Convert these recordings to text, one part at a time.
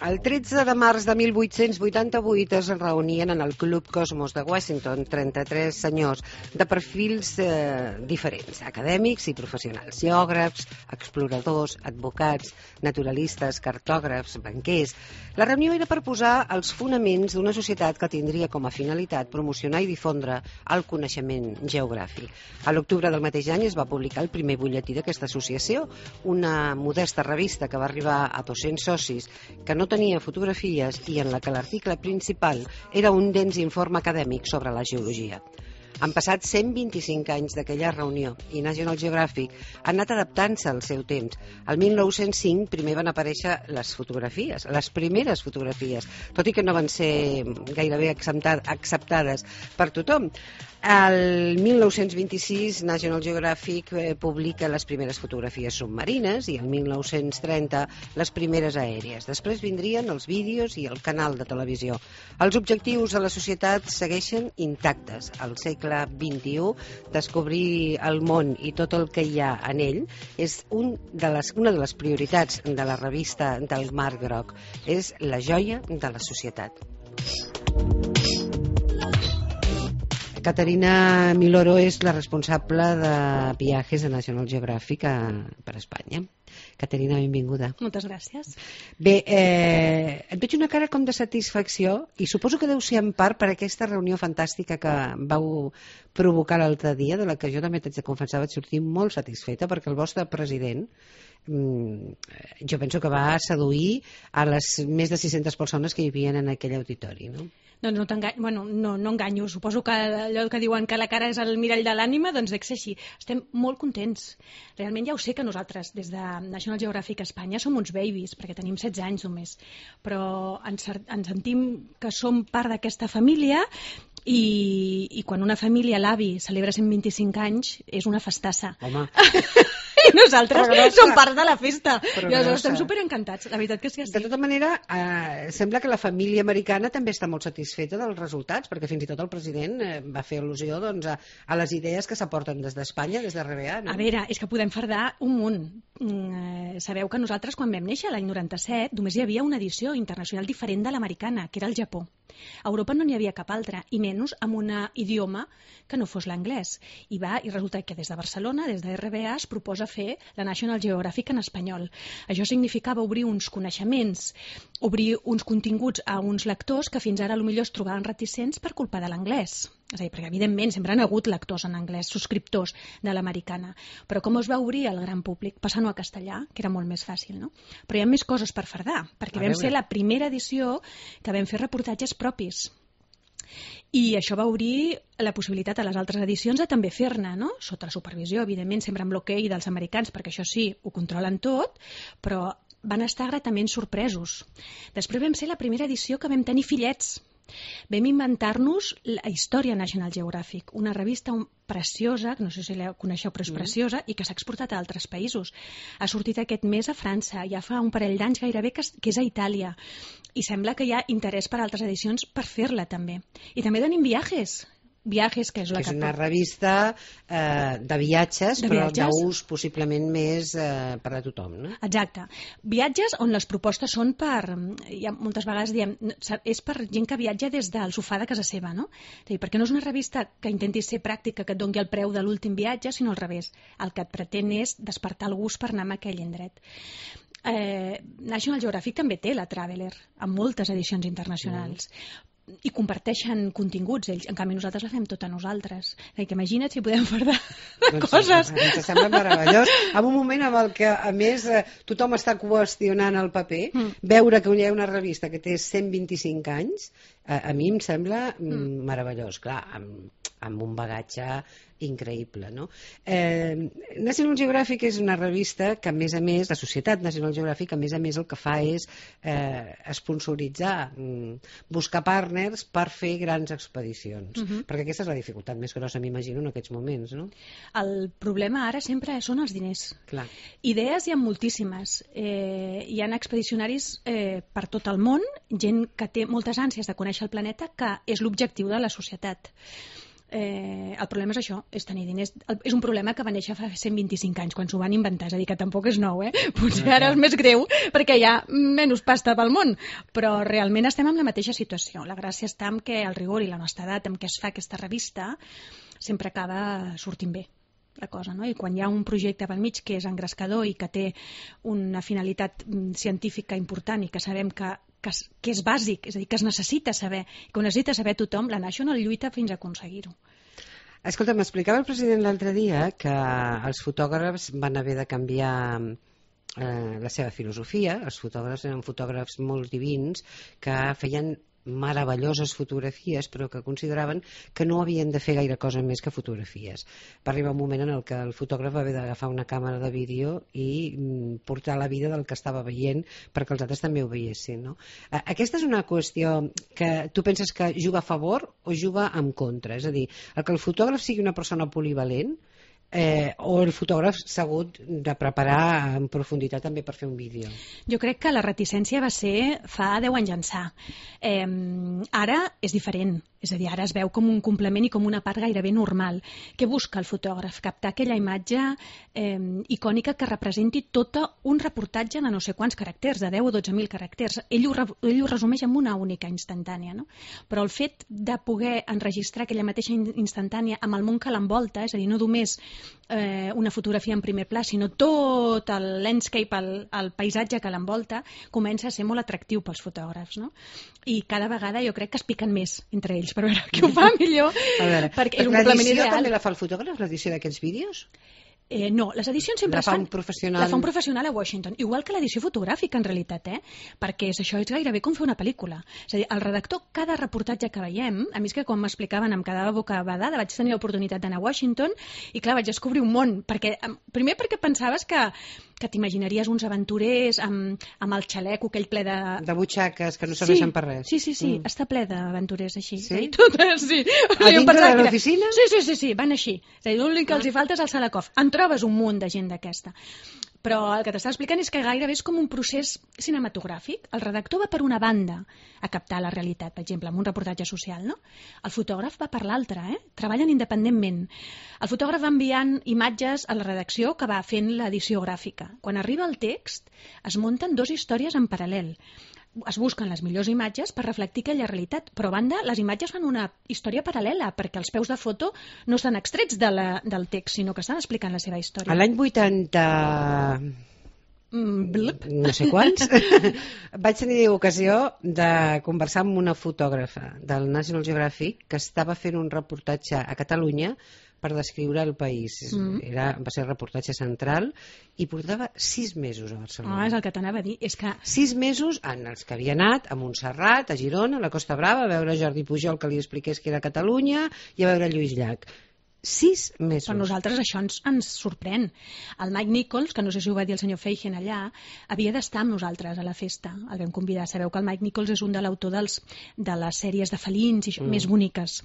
El 13 de març de 1888 es reunien en el Club Cosmos de Washington 33 senyors de perfils diferents, acadèmics i professionals, geògrafs, exploradors, advocats, naturalistes, cartògrafs, banquers. La reunió era per posar els fonaments d'una societat que tindria com a finalitat promocionar i difondre el coneixement geogràfic. A l'octubre del mateix any es va publicar el primer butlletí d'aquesta associació, una modesta revista que va arribar a 200 socis, que no tenia fotografies i en la que l'article principal era un dens informe acadèmic sobre la geologia. Han passat 125 anys d'aquella reunió i National Geographic ha anat adaptant-se al seu temps. El 1905 primer van aparèixer les fotografies, les primeres fotografies, tot i que no van ser gairebé acceptades per tothom. El 1926 National Geographic publica les primeres fotografies submarines i el 1930 les primeres aèries. Després vindrien els vídeos i el canal de televisió. Els objectius de la societat segueixen intactes. Al segle XXI, descobrir el món i tot el que hi ha en ell és una de les prioritats de la revista del Mar Groc. És la joia de la societat. Caterina Miloro és la responsable de viatges de National Geographic per Espanya. Caterina, benvinguda. Moltes gràcies. Bé, et veig una cara com de satisfacció i suposo que deu ser en part per aquesta reunió fantàstica que vau provocar l'altre dia, de la que jo també t'haig de confessar vaig sortir molt satisfeta perquè el vostre president jo penso que va seduir a les més de 600 persones que hi havia en aquell auditori, no? Doncs no enganyo. Suposo que allò que diuen que la cara és el mirall de l'ànima, doncs dec ser així. Estem molt contents. Realment ja ho sé que nosaltres, des de National Geographic Espanya, som uns babies, perquè tenim 16 anys només. Però ens sentim que som part d'aquesta família i quan una família, l'avi, celebra 125 anys, és una festassa. Home. I nosaltres som part de la festa. I aleshores estem superencantats. La veritat que sí. De tota manera, sembla que la família americana també està molt satisfeta dels resultats, perquè fins i tot el president va fer al·lusió a les idees que s'aporten des d'Espanya, des de RBA. No? A veure, és que podem fardar un munt. Sabeu que nosaltres, quan vam néixer, l'any 97, només hi havia una edició internacional diferent de l'americana, que era el Japó. A Europa no n'hi havia cap altra, i menys amb un idioma que no fos l'anglès. I resulta que des de Barcelona, des de RBA, es proposa fer la National Geographic en espanyol. Això significava obrir uns coneixements, obrir uns continguts a uns lectors que fins ara potser es trobaven reticents per culpa de l'anglès. És a dir, perquè evidentment sempre han hagut lectors en anglès, subscriptors de l'americana. Però com es va obrir al gran públic? Passant-ho a castellà, que era molt més fàcil, no? Però hi ha més coses per fardar, perquè vam ser la primera edició que vam fer reportatges propis. I això va obrir la possibilitat a les altres edicions de també fer-ne, no? Sota la supervisió, evidentment, sempre amb l'hoquei dels americans, perquè això sí, ho controlen tot, però van estar gratament sorpresos. Després vam ser la primera edició que vam tenir fillets. Vam inventar-nos la Història National Geographic, una revista preciosa, que no sé si la coneixeu però és preciosa, i que s'ha exportat a altres països. Ha sortit aquest mes a França, ja fa un parell d'anys gairebé que és a Itàlia, i sembla que hi ha interès per altres edicions per fer-la també. I també tenim viatges, que és una revista de viatges, però d'ús possiblement més per a tothom, no? Exacte. Viatges on les propostes són moltes vegades diem, és per gent que viatja des del sofà de casa seva, no? És a dir, perquè no és una revista que intenti ser pràctica, que et doni el preu de l'últim viatge, sinó al revés. El que et pretén és despertar el gust per anar a aquell indret. National Geographic també té la Traveler, amb moltes edicions internacionals. I comparteixen continguts ells, en canvi nosaltres la fem tota nosaltres. Que imagina't si podem fardar coses. Ens sembla meravellós. En un moment en el que, a més, tothom està qüestionant el paper, veure que hi ha una revista que té 125 anys, a mi em sembla meravellós. Clar, amb un bagatge increïble, no? National Geographic és una revista que, a més, la societat National Geographic, a més, el que fa és esponsoritzar, buscar partners per fer grans expedicions. Perquè aquesta és la dificultat més grossa, m'imagino, en aquests moments, no? El problema ara sempre són els diners. Clar. Idees hi ha moltíssimes. Hi ha expedicionaris per tot el món, gent que té moltes ànsies de conèixer el planeta, que és l'objectiu de la societat. El problema és això, és tenir diners. És un problema que va néixer fa 125 anys, quan s'ho van inventar, és a dir, que tampoc és nou, Potser ara és més greu, perquè hi ha menys pasta pel món, però realment estem en la mateixa situació. La gràcia està en que el rigor i l'honestedat amb què es fa aquesta revista sempre acaba sortint bé la cosa, no? I quan hi ha un projecte pel mig que és engrescador i que té una finalitat científica important i que sabem que és bàsic, és a dir, que es necessita saber, que ho necessita saber tothom, la National lluita fins a aconseguir-ho. Escolta, m'explicava el president l'altre dia que els fotògrafs van haver de canviar la seva filosofia. Els fotògrafs eren fotògrafs molt divins que feien meravelloses fotografies, però que consideraven que no havien de fer gaire cosa més que fotografies. Va arribar un moment en el que el fotògraf va haver d'agafar una càmera de vídeo i portar la vida del que estava veient perquè els altres també ho veiessin, no? Aquesta és una qüestió que tu penses que juga a favor o juga en contra? És a dir, el que el fotògraf sigui una persona polivalent o el fotògraf s'ha hagut de preparar en profunditat també per fer un vídeo? Jo crec que la reticència va ser fa 10 anys ençà. Ara és diferent. És a dir, ara es veu com un complement i com una part gairebé normal. Què busca el fotògraf? Captar aquella imatge icònica que representi tot un reportatge de no sé quants caràcters, de 10 o 12.000 caràcters. Ell ho resumeix en una única instantània, no? Però el fet de poder enregistrar aquella mateixa instantània amb el món que l'envolta, és a dir, no només una fotografia en primer pla, sinó tot el landscape, el paisatge que l'envolta, comença a ser molt atractiu pels fotògrafs, no? I cada vegada jo crec que es piquen més entre ells per veure qui ho fa millor, perquè és un complement ideal. L'edició també la fa el fotògraf, l'edició d'aquests vídeos? No, les edicions sempre la fa un professional. La fa un professional a Washington, igual que l'edició fotogràfica en realitat, perquè això és gairebé com fer una pel·lícula. És a dir, el redactor, cada reportatge que veiem, a mi és que quan m'explicaven em quedava bocabadada, vaig tenir l'oportunitat d'anar a Washington i clar, vaig descobrir un món, primer perquè pensaves que t'imaginaries uns aventurers amb el xaleco aquell ple de butxaques que no serveixen per res. Sí, està ple d'aventurers així. Sí? Sí. A dintre de l'oficina? Sí, van així. És a dir, l'únic que els hi falta és el Salakoff. En trobes un munt de gent d'aquesta. Però el que t'estava explicant és que gairebé és com un procés cinematogràfic. El redactor va per una banda a captar la realitat, per exemple, amb un reportatge social, no? El fotògraf va per l'altra, treballen independentment. El fotògraf va enviant imatges a la redacció que va fent l'edició gràfica. Quan arriba el text, es munten 2 històries en paral·lel. Es busquen les millors imatges per reflectir aquella realitat, però a banda les imatges fan una història paral·lela, perquè els peus de foto no estan extrets del text, sinó que estan explicant la seva història. A l'any 80... no sé quants, vaig tenir ocasió de conversar amb una fotògrafa del National Geographic que estava fent un reportatge a Catalunya per descriure el país. Va ser el reportatge central i portava 6 mesos a Barcelona. És el que t'anava a dir. És que 6 mesos en els que havia anat a Montserrat, a Girona, a la Costa Brava, a veure Jordi Pujol que li expliqués que era Catalunya i a veure Lluís Llach. 6 mesos. Per nosaltres això ens sorprèn. El Mike Nichols, que no sé si ho va dir el senyor Feigen allà, havia d'estar amb nosaltres a la festa. El vam convidar. Sabeu que el Mike Nichols és un de l'autor de les sèries de felins i més boniques.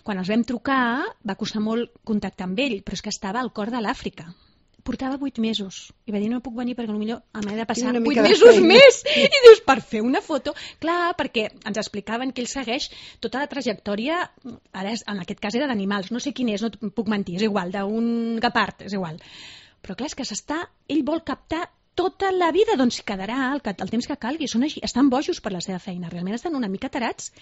Quan els vam trucar va costar molt contactar amb ell, però és que estava al cor de l'Àfrica. Portava 8 mesos i va dir no puc venir perquè potser m'he de passar 8 mesos més i dius per fer una foto, clar, perquè ens explicaven que ell segueix tota la trajectòria, ara en aquest cas era d'animals, no sé quin és, no puc mentir, és igual, d'un guepard, és igual, però clar, és que ell vol captar tota la vida, doncs quedarà el temps que calgui, són així, estan bojos per la seva feina, realment estan una mica tarats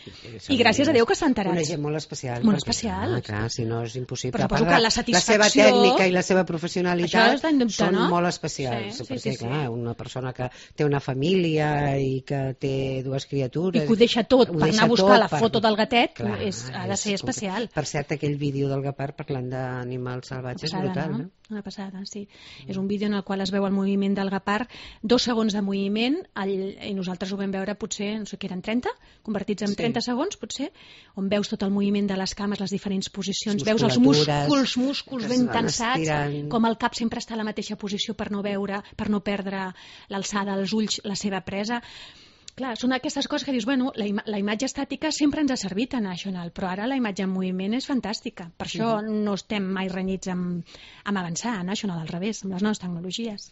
i gràcies a Déu que estan tarats. Una gent molt especial. Molt especial. Clar, si no és impossible. Però suposo que la satisfacció... La seva tècnica i la seva professionalitat són molt especials, perquè clar, una persona que té una família i que té 2 criatures... I que ho deixa tot per anar a buscar la foto del gatet, ha de ser especial. Per cert, aquell vídeo del guepard parlant d'animals salvatges és brutal, no? Una passada, sí. És un vídeo en el qual es veu el moviment del guepard, 2 segons de moviment, i nosaltres ho vam veure potser, no sé què eren, 30? Convertits en 30 segons, potser, on veus tot el moviment de les cames, les diferents posicions, veus els músculs ben tensats, com el cap sempre està a la mateixa posició per no perdre l'alçada, els ulls, la seva presa. Clar, són aquestes coses que dius, bueno, la imatge estàtica sempre ens ha servit a National, però ara la imatge en moviment és fantàstica. Per això no estem mai renyits amb avançar a National, al revés, amb les noves tecnologies.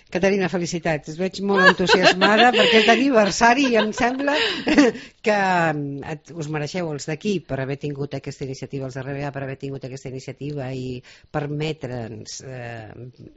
Caterina, felicitats. Es veig molt entusiasmada perquè és d'aniversari i em sembla que us mereixeu els d'aquí per haver tingut aquesta iniciativa, els de RBA per haver tingut aquesta iniciativa i permetre'ns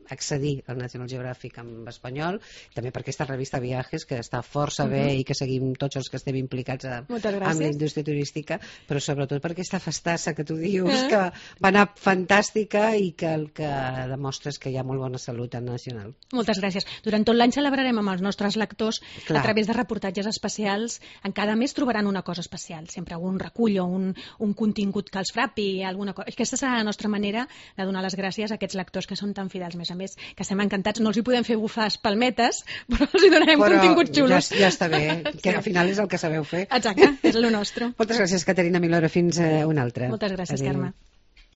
accedir al National Geographic en espanyol, també per aquesta revista Viajes, que està força bé i que seguim tots els que estem implicats amb la indústria turística, però sobretot per aquesta festassa que tu dius, que va anar fantàstica i que el que demostra és que hi ha molt bona salut en Nacional. Moltes gràcies. Durant tot l'any celebrarem amb els nostres lectors a través de reportatges especials. En cada mes trobaran una cosa especial, sempre un recull o un contingut que els frapi, alguna cosa. Aquesta serà la nostra manera de donar les gràcies a aquests lectors que són tan fidels. A més, que estem encantats. No els hi podem fer bufar palmetes, però els hi donarem continguts xulos. Ja està bé, que al final és el que sabeu fer. Exacte, és el nostre. Moltes gràcies, Caterina Milora. Fins una altra. Moltes gràcies, Carme.